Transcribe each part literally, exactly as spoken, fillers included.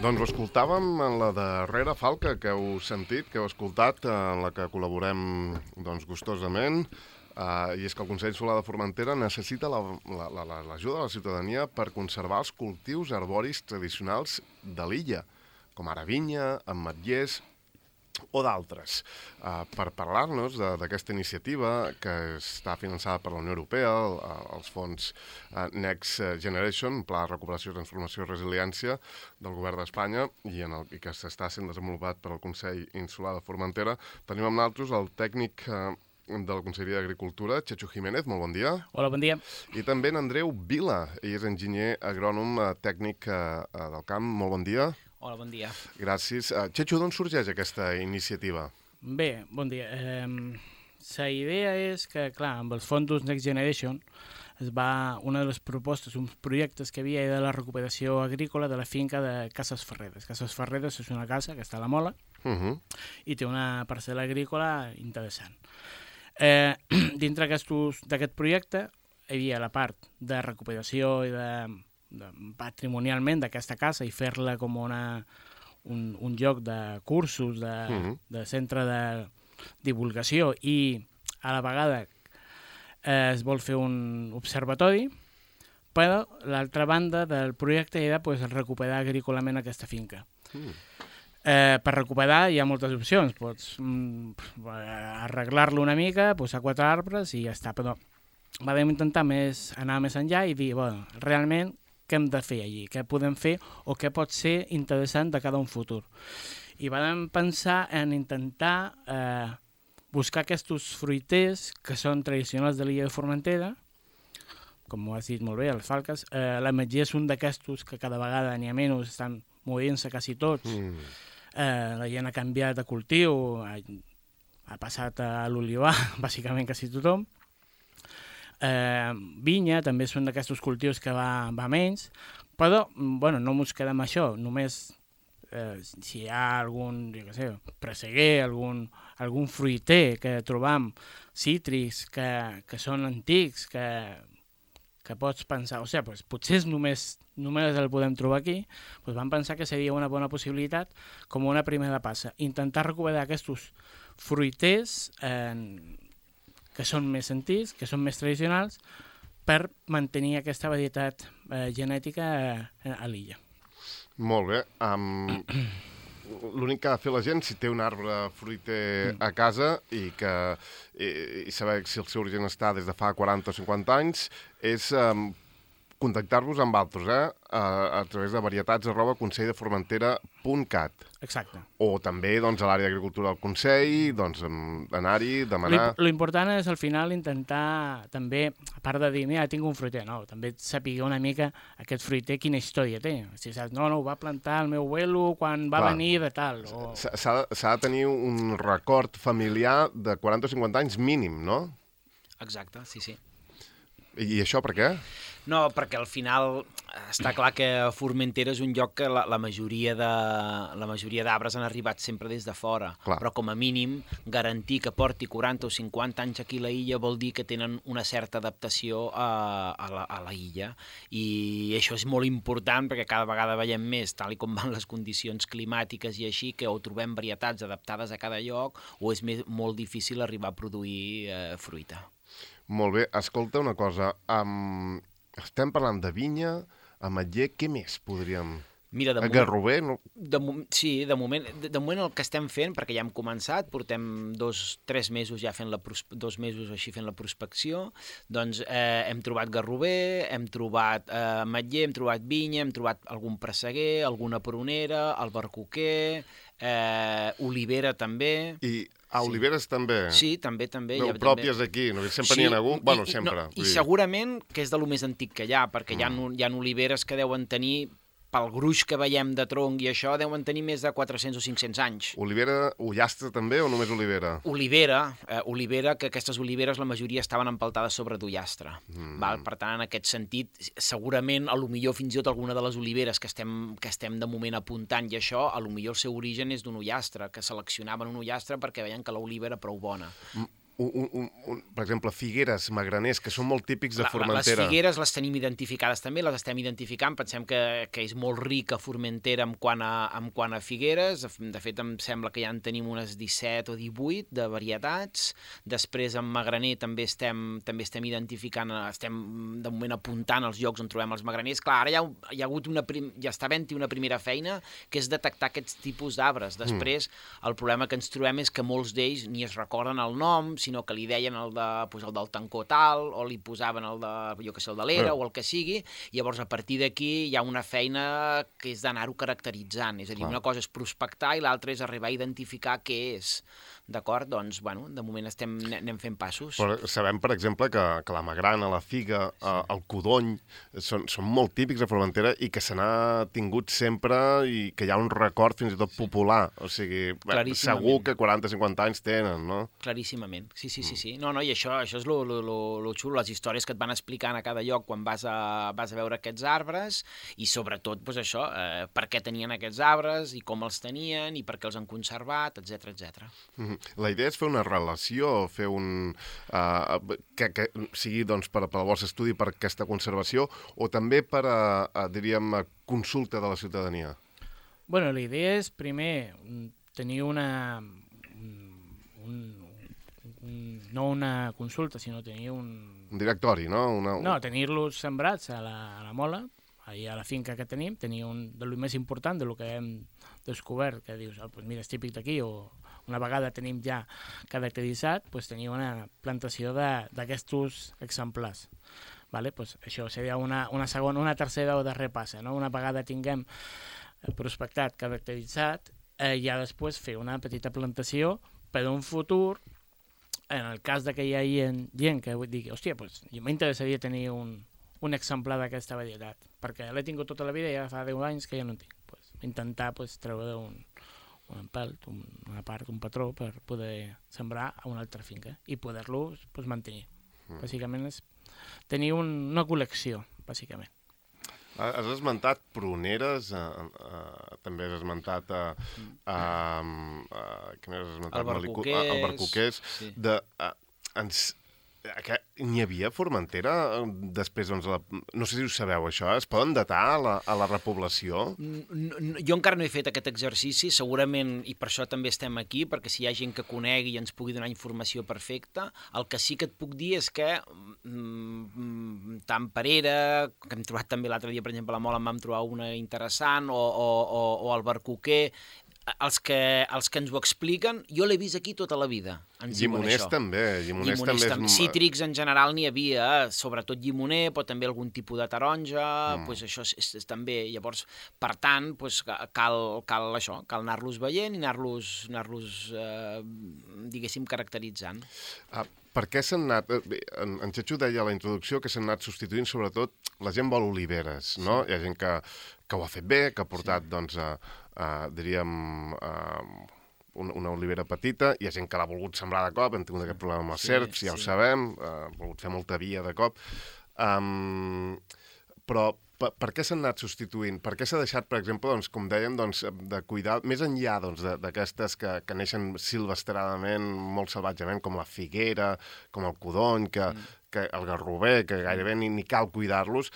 Doncs ho escoltàvem en la darrera falca que heu sentit, que heu escoltat, en la que col·laborem doncs, gustosament, uh, i és que el Consell Insular de Formentera necessita l'ajuda la, la, la, de la ciutadania per conservar els cultius arboris tradicionals de l'illa, com ara vinya, ametllers o d'altres. Uh, per parlar-nos d'aquesta iniciativa que està finançada per la Unió Europea, el, els fons uh, Next Generation, Pla de Recuperació, Transformació i Resiliència del Govern d'Espanya i, en el, i que s'està sent desenvolupat per al Consell Insular de Formentera, tenim amb nosaltres el tècnic uh, de la Conselleria d'Agricultura, Chechu Jiménez, molt bon dia. Hola, bon dia. I també en Andreu Vila, ell és enginyer agrònom uh, tècnic uh, del camp, molt bon dia. Hola, bon dia. Gràcies. Uh, Chechu, d'on sorgeix aquesta iniciativa? Bé, bon dia. Eh, la idea és que, clar, amb els fons Next Generation es va, una de les propostes, uns projectes que havia de la recuperació agrícola de la finca de Cases Ferreres. Cases Ferreres és una casa que està a la Mola uh -huh. i té una parcel·la agrícola interessant. Eh, dintre d'aquest projecte hi havia la part de recuperació i de... De, patrimonialment d'aquesta casa i fer-la com una, un, un lloc de cursos, de, uh-huh. de centre de divulgació i a la vegada eh, es vol fer un observatori, però l'altra banda del projecte era pues, recuperar agrícolament aquesta finca. Uh-huh. Eh, per recuperar hi ha moltes opcions, pots mm, arreglar-lo una mica, posar quatre arbres i ja està, però vam intentar més, anar més enllà i dir, bueno, realment què hem de fer allí, què podem fer o què pot ser interessant de cara a un futur. I vam pensar en intentar eh, buscar aquests fruiters que són tradicionals de l'illa de Formentera, com ho has dit molt bé, les falques. Eh, l'ametller és un d'aquests que cada vegada n'hi ha menys, estan movent-se quasi tots. Mm. Eh, la gent ha canviat de cultiu, ha, ha passat a l'olivar, bàsicament quasi tothom. Eh, vinya també són d'aquests cultius que va, va menys, però bueno, no ens quedem amb això, només eh, si hi ha algun, jo què sé, presseguer, algun, algun fruiter que trobam, cítrics que, que són antics, que, que pots pensar, o sigui, pues, potser només, només el podem trobar aquí, doncs vam pensar que seria una bona possibilitat com una primera passa, intentar recuperar aquests fruiters eh, que són més antics, que són més tradicionals, per mantenir aquesta varietat eh, genètica a, a l'illa. Molt bé. Um, L'únic que ha de fer la gent, si té un arbre fruiter a casa i, que, i, i saber si el seu origen està des de fa quaranta o cinquanta anys, és um, contactar-vos amb altres, eh? A, a través de varietats arroba consell de formentera punt cat. Exacte. O també doncs, a l'àrea d'agricultura del Consell, doncs, anar-hi, demanar... L'important és al final intentar també, a part de dir, mira, tinc un fruiter, no, també saber una mica aquest fruiter quina història té. Si saps, no, no, ho va plantar el meu abuelo quan va Clar. venir de tal. O... S'ha de tenir un record familiar de quaranta o cinquanta anys mínim, no? Exacte, sí, sí. I, i això per què? No, perquè al final està clar que Formentera és un lloc que la, la majoria de la majoria d'arbres han arribat sempre des de fora, clar. Però com a mínim garantir que porti quaranta o cinquanta anys aquí a la illa vol dir que tenen una certa adaptació a, a, la, a la illa, i això és molt important perquè cada vegada veiem més, tal i com van les condicions climàtiques i així, que o trobem varietats adaptades a cada lloc o és més, molt difícil arribar a produir eh, fruita. Molt bé, escolta una cosa, um, estem parlant de vinya, ametller, què més podríem... Mira, de moment... Garrover? No? De, sí, de moment, de, de moment el que estem fent, perquè ja hem començat, portem dos, tres mesos ja fent la, dos mesos així fent la prospecció, doncs eh, hem trobat garrover, hem trobat eh, ametller, hem trobat vinya, hem trobat algun presseguer, alguna prunera, albercoquer, eh, olivera també... I... A Oliveres sí. també? Sí, també, també. No, ja, pròpies també. Aquí, no? Sempre n'hi sí, ha algun? I, bueno, sempre. No, I segurament que és de lo més antic que hi ha, perquè mm. hi, ha, hi ha oliveres que deuen tenir, pel gruix que veiem de tronc i això, deuen tenir més de quatre-cents o cinc-cents anys. Olivera, ullastre també o només olivera? Olivera, eh, olivera, que aquestes oliveres la majoria estaven empaltades sobre d'ullastre. Mm. Val? Per tant, en aquest sentit, segurament, a lo millor fins i tot alguna de les oliveres que estem, que estem de moment apuntant i això, a lo millor el seu origen és d'un ullastre, que seleccionaven un ullastre perquè veien que l'oliva era prou bona. Mm. un, un, un, per exemple, figueres, magraners, que són molt típics de Formentera. Les figueres les tenim identificades també, les estem identificant, pensem que, que és molt rica Formentera en quant a, en quant a figueres, de fet em sembla que ja en tenim unes disset o divuit de varietats, després en magraner també estem, també estem identificant, estem de moment apuntant els llocs on trobem els magraners. Clar, ara hi ha, hi ha hagut una, prim, ja està havent-hi una primera feina, que és detectar aquests tipus d'arbres. Després, mm. el problema que ens trobem és que molts d'ells ni es recorden el nom, sinó que li deien el, de, pues, el del tancó tal, o li posaven el de, jo que sé, el de l'era, mm. o el que sigui, i llavors a partir d'aquí hi ha una feina que és d'anar-ho caracteritzant, és a dir, Clar. Una cosa és prospectar i l'altra és arribar a identificar què és. D'acord? Doncs, bueno, de moment estem, anem fent passos. Però sabem, per exemple, que, que la magrana, la figa, sí. eh, el codony, són, són molt típics a Formentera i que se n'ha tingut sempre i que hi ha un record fins i tot popular. O sigui, bé, segur que quaranta o cinquanta anys tenen, no? Claríssimament. Sí, sí, sí. sí. No, no, i això, això és lo, lo, lo, lo xulo, les històries que et van explicant a cada lloc quan vas a, vas a veure aquests arbres i sobretot, doncs això, eh, per què tenien aquests arbres i com els tenien i per què els han conservat, etcètera, etcètera. Mm-hmm. La idea és fer una relació, fer un... Uh, que, que sigui doncs, per, per al vostre estudi, per aquesta conservació, o també per a, a diríem, a consulta de la ciutadania? Bueno, la idea és, primer, tenir una... Un, un, no una consulta, sinó tenir un... Un directori, no? Una... No, tenir-los sembrats a la, a la mola, allà a la finca que tenim, tenir un de lo més important, de lo que hem descobert, que dius, oh, pues mira, és típic d'aquí, o una vegada tenim ja caracteritzat, pues tenir una plantació d'aquests exemplars. Vale? Pues això seria una, una segona, una tercera o darrera passa, no? Una vegada tinguem prospectat, caracteritzat, eh, ja després fer una petita plantació per un futur, en el cas de que hi hagi gent que digui, hòstia, pues, m'interessaria tenir un, un exemplar d'aquesta varietat, perquè l'he tingut tota la vida i ja fa deu anys que ja no en tinc. Pues, intentar pues, treure un, un empelt, un, una part, un patró per poder sembrar a una altra finca i poder-lo pues, mantenir. Mm. Bàsicament és tenir un, una col·lecció, bàsicament. Has esmentat pruneres, uh, uh, també has esmentat uh, uh, uh, què més has esmentat? Albercoquers. Uh, albercoquers. Sí. De, uh, ens, n'hi havia a Formentera després, doncs, la, no sé si ho sabeu això, es poden datar a la, a la repoblació? No, no, jo encara no he fet aquest exercici, segurament, i per això també estem aquí, perquè si hi ha gent que conegui i ens pugui donar informació perfecta, el que sí que et puc dir és que mm, tant Perera, que hem trobat també l'altre dia, per exemple, a la Mola en vam trobar una interessant, o, o, o, o Albercoquer, els que, els que ens ho expliquen, jo l'he vist aquí tota la vida. Llimoners també. Llimoners llimoners també és... Cítrics en general n'hi havia, sobretot llimoner, però també algun tipus de taronja, mm. pues això és, és, és també. Llavors, per tant, pues, cal, cal això, cal anar-los veient i anar-los, anar-los eh, diguéssim, caracteritzant. Ah, per què s'han anat... Bé, en, en Xacho deia a la introducció que s'han anat substituint, sobretot, la gent vol oliveres, no? Sí. Hi ha gent que, que ho ha fet bé, que ha portat, sí. doncs, a, a, diríem... A, una, una olivera petita, hi ha gent que l'ha volgut sembrar de cop, hem tingut aquest problema amb els sí, serps, ja sí. ho sabem, ha volgut fer molta via de cop, um, però per, per què s'han anat substituint? Per què s'ha deixat, per exemple, doncs, com dèiem, doncs, de cuidar, més enllà doncs, d'aquestes que, que neixen silvestradament, molt salvatgement, com la figuera, com el codony, que, mm. que el garrover, que gairebé ni, ni cal cuidar-los,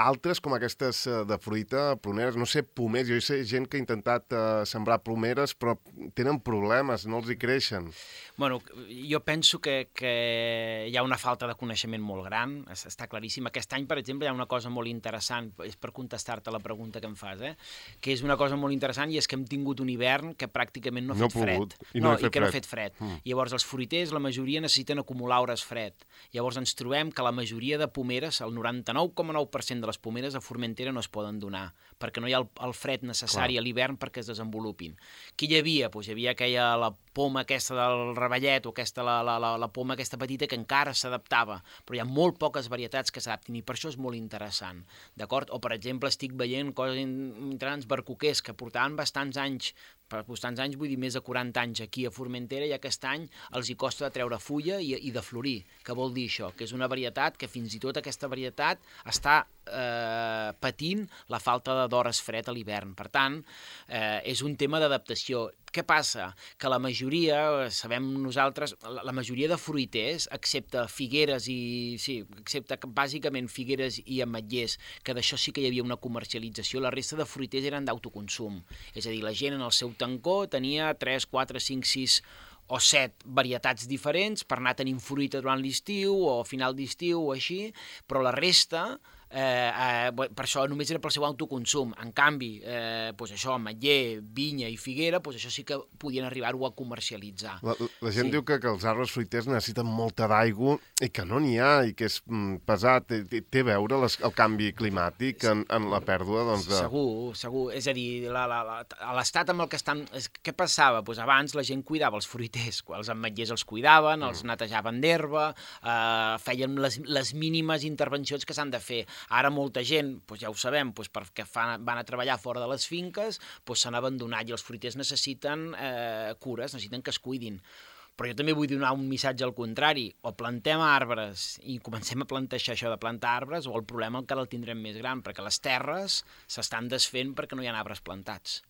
altres com aquestes de fruita, pruneres, no sé, pomers, jo sé gent que ha intentat uh, sembrar plomeres, però tenen problemes, no els hi creixen. Bueno, jo penso que, que hi ha una falta de coneixement molt gran, està claríssim. Aquest any, per exemple, hi ha una cosa molt interessant, és per contestar-te la pregunta que em fas, eh? que és una cosa molt interessant i és que hem tingut un hivern que pràcticament no ha fet no fred. I, no no, i que fred. no ha fet fred. Mm. Llavors, els fruiters, la majoria necessiten acumular hores fred. Llavors, ens trobem que la majoria de pomeres, el noranta-nou coma nou per cent de les pomeres a Formentera no es poden donar, perquè no hi ha el, el fred necessari Clar. a l'hivern perquè es desenvolupin. Què hi havia? Pues hi havia aquella, la poma aquesta del ravellet o aquesta, la, la, la, la poma aquesta petita que encara s'adaptava, però hi ha molt poques varietats que s'adaptin i per això és molt interessant, d'acord? O, per exemple, estic veient coses interessants, barcoquers, que portaven bastants anys, per bastants anys vull dir més de quaranta anys aquí a Formentera i aquest any els hi costa de treure fulla i, i de florir. Què vol dir això? Que és una varietat que fins i tot aquesta varietat està eh, patint la falta d'hores fred a l'hivern. Per tant, eh, és un tema d'adaptació. Què passa? Que la majoria, sabem nosaltres, la, la majoria de fruiters, excepte figueres i... Sí, excepte bàsicament figueres i ametllers, que d'això sí que hi havia una comercialització, la resta de fruiters eren d'autoconsum. És a dir, la gent en el seu tancó tenia tres, quatre, cinc, sis o set varietats diferents per anar tenint fruita durant l'estiu o a final d'estiu o així, però la resta... Eh, eh, per això només era pel seu autoconsum. En canvi, eh, doncs això, ametller, vinya i figuera, doncs això sí que podien arribar-ho a comercialitzar. La, la gent sí. diu que, que els arbres fruiters necessiten molta d'aigua i que no n'hi ha, i que és mm, pesat. Té, té a veure les, el canvi climàtic en, en la pèrdua, doncs, de... Segur, segur. És a dir, la, la, la, l'estat amb el que estan... Què passava? Doncs abans la gent cuidava els fruiters, els ametllers els cuidaven, mm. els netejaven d'herba, eh, feien les, les mínimes intervencions que s'han de fer. Ara molta gent, doncs ja ho sabem, doncs perquè fan, van a treballar fora de les finques, doncs s'han abandonat i els fruiters necessiten eh, cures, necessiten que es cuidin. Però jo també vull donar un missatge al contrari. O plantem arbres i comencem a plantejar això de plantar arbres, o el problema encara el tindrem més gran, perquè les terres s'estan desfent perquè no hi ha arbres plantats.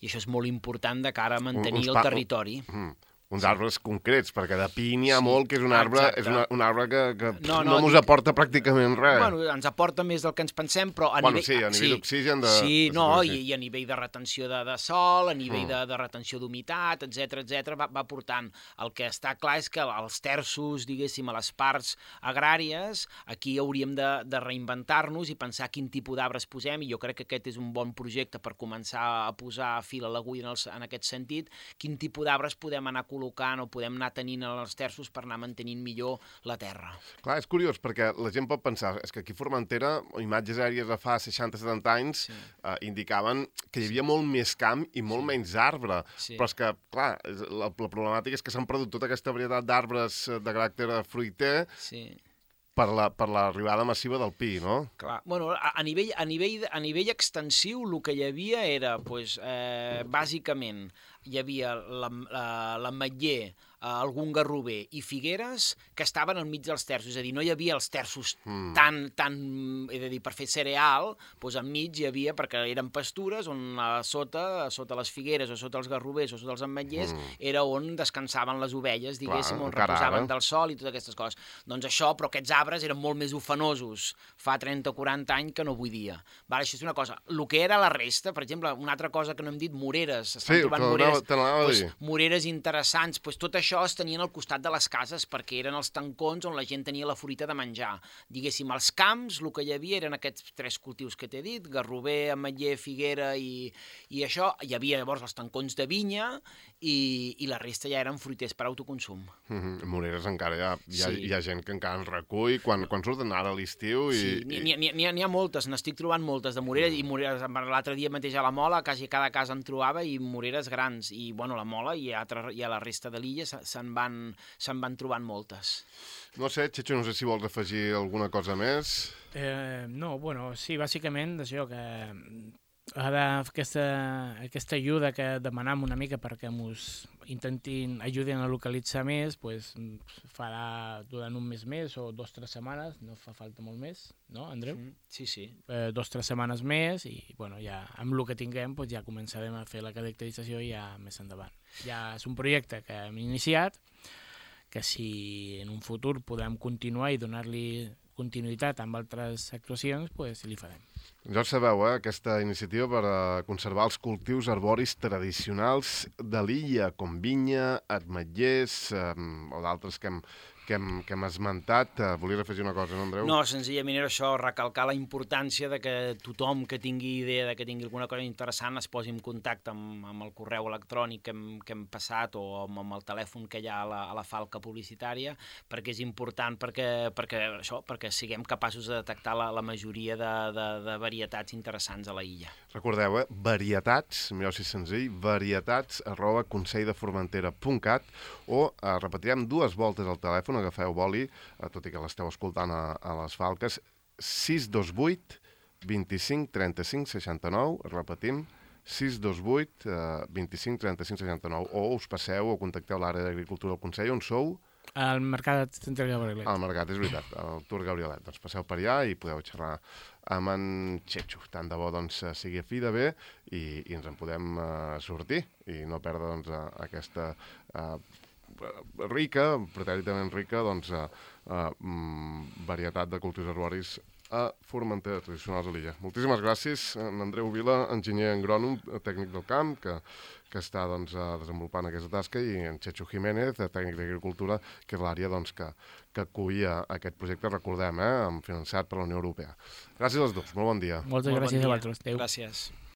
I això és molt important de cara a mantenir el territori. Mm. Uns sí. arbres concrets, perquè de pi n'hi ha sí. molt, que és un arbre, és una, un arbre que, que no, no, no mos aporta pràcticament res. Bueno, ens aporta més del que ens pensem, però a bueno, nivell... sí, a nivell sí. d'oxigen... De... Sí, no, i, i a nivell de retenció de, de sol, a nivell mm. de, de retenció d'humitat, etcètera, etcètera, va, va portant. El que està clar és que els terços, diguéssim, a les parts agràries, aquí hauríem de, de reinventar-nos i pensar quin tipus d'arbres posem, i jo crec que aquest és un bon projecte per començar a posar fil a l'agulla en, els, en aquest sentit, quin tipus d'arbres podem anar col·locant o podem anar tenint els terços per anar mantenint millor la terra. Clar, és curiós, perquè la gent pot pensar, és que aquí a Formentera, imatges aèries de fa seixanta setanta anys, sí. eh, indicaven que hi havia sí. molt més camp i molt sí. menys arbre. Sí. Però és que, clar, la, la problemàtica és que s'han perdut tota aquesta varietat d'arbres de caràcter fruiter sí. per la, per l'arribada massiva del pi, no? Clar. Bueno, a, a, nivell, a, nivell, a nivell extensiu el que hi havia era, pues, eh, bàsicament, hi havia l'ametller, algun garrover i figueres que estaven al mig dels terços, és a dir, no hi havia els terços mm. tan, tan, és a dir, per fer cereal, doncs enmig hi havia, perquè eren pastures on a sota, a sota les figueres o sota els garrovers o sota els ametllers, mm. era on descansaven les ovelles, diguéssim, Clar, on reposaven ara. del sol i totes aquestes coses. Doncs això, però aquests arbres eren molt més ufanosos fa trenta o quaranta anys que no avui dia. Vale, això és una cosa. El que era la resta, per exemple, una altra cosa que no hem dit, moreres, estan sí, trobant moreres, pues, moreres interessants, pues, tot això es tenien al costat de les cases perquè eren els tancons on la gent tenia la fruita de menjar. Diguéssim, als camps el que hi havia eren aquests tres cultius que t'he dit, garrover, ametller, figuera i, i això. Hi havia llavors els tancons de vinya i, i la resta ja eren fruiters per autoconsum. Mm-hmm. Moreres encara hi ha, hi ha, sí. hi ha gent que encara en recull quan, quan surten ara a l'estiu. I, sí, n'hi i... ha, ha, ha moltes, n'estic trobant moltes de moreres mm. i moreres, l'altre dia mateix a la Mola, quasi cada casa en trobava i moreres grans. I bueno, la Mola i a, i a la resta de l'illa se'n van, se'n van trobant moltes. No sé, Checho, no sé si vols afegir alguna cosa més. Eh, no, bueno, sí, bàsicament això que ara aquesta, aquesta ajuda que demanam una mica perquè ens intentin ajudin a localitzar més, pues, farà durant un mes més o dos o tres setmanes, no fa falta molt més, no, Andreu? Sí, sí. Eh, dos o tres setmanes més i, bueno, ja amb el que tinguem pues, ja començarem a fer la caracterització ja més endavant. Ja és un projecte que hem iniciat, que si en un futur podem continuar i donar-li continuïtat amb altres actuacions, pues, li farem. Ja ho sabeu, eh? Aquesta iniciativa per a conservar els cultius arboris tradicionals de l'illa, com vinya, ametllers eh, o d'altres que hem, que hem, que hem esmentat. Uh, volies afegir una cosa, no, Andreu? No, senzillament era això, recalcar la importància de que tothom que tingui idea, de que tingui alguna cosa interessant, es posi en contacte amb, amb el correu electrònic que hem, que hem passat o amb, amb el telèfon que hi ha a la, a la falca publicitària, perquè és important perquè, perquè, això, perquè siguem capaços de detectar la, la majoria de, de, de varietats interessants a la illa. Recordeu, eh? Varietats, millor si és senzill, varietats arroba conselldeformentera punt cat o eh, repetirem dues voltes al telèfon, agafeu boli, eh, tot i que l'esteu escoltant a, a les falques, sis dos vuit, vint-i-cinc, trenta-cinc, seixanta-nou, repetim, sis dos vuit, vint-i-cinc, trenta-cinc, seixanta-nou, o us passeu o contacteu l'àrea d'Agricultura del Consell, on sou? Al Mercat Centre Gabrielet. Al Mercat, és veritat, al Tour Gabrielet. Doncs passeu per allà i podeu xerrar amb en Txetxo. Tant de bo doncs, sigui a fi de bé i, i ens en podem uh, sortir i no perdre doncs, uh, aquesta uh, rica, pretèritament rica, doncs, uh, uh, varietat de cultius arboris a Formentera, tradicionals a l'illa. Moltíssimes gràcies, en Andreu Vila, enginyer agrònom, tècnic del camp, que, que està doncs, desenvolupant aquesta tasca, i en Txetxo Jiménez, tècnic d'agricultura, que és l'àrea doncs, que, que acollia aquest projecte, recordem, eh, finançat per la Unió Europea. Gràcies als dos, molt bon dia. Moltes Molt gràcies bon a vosaltres. Adéu. Gràcies.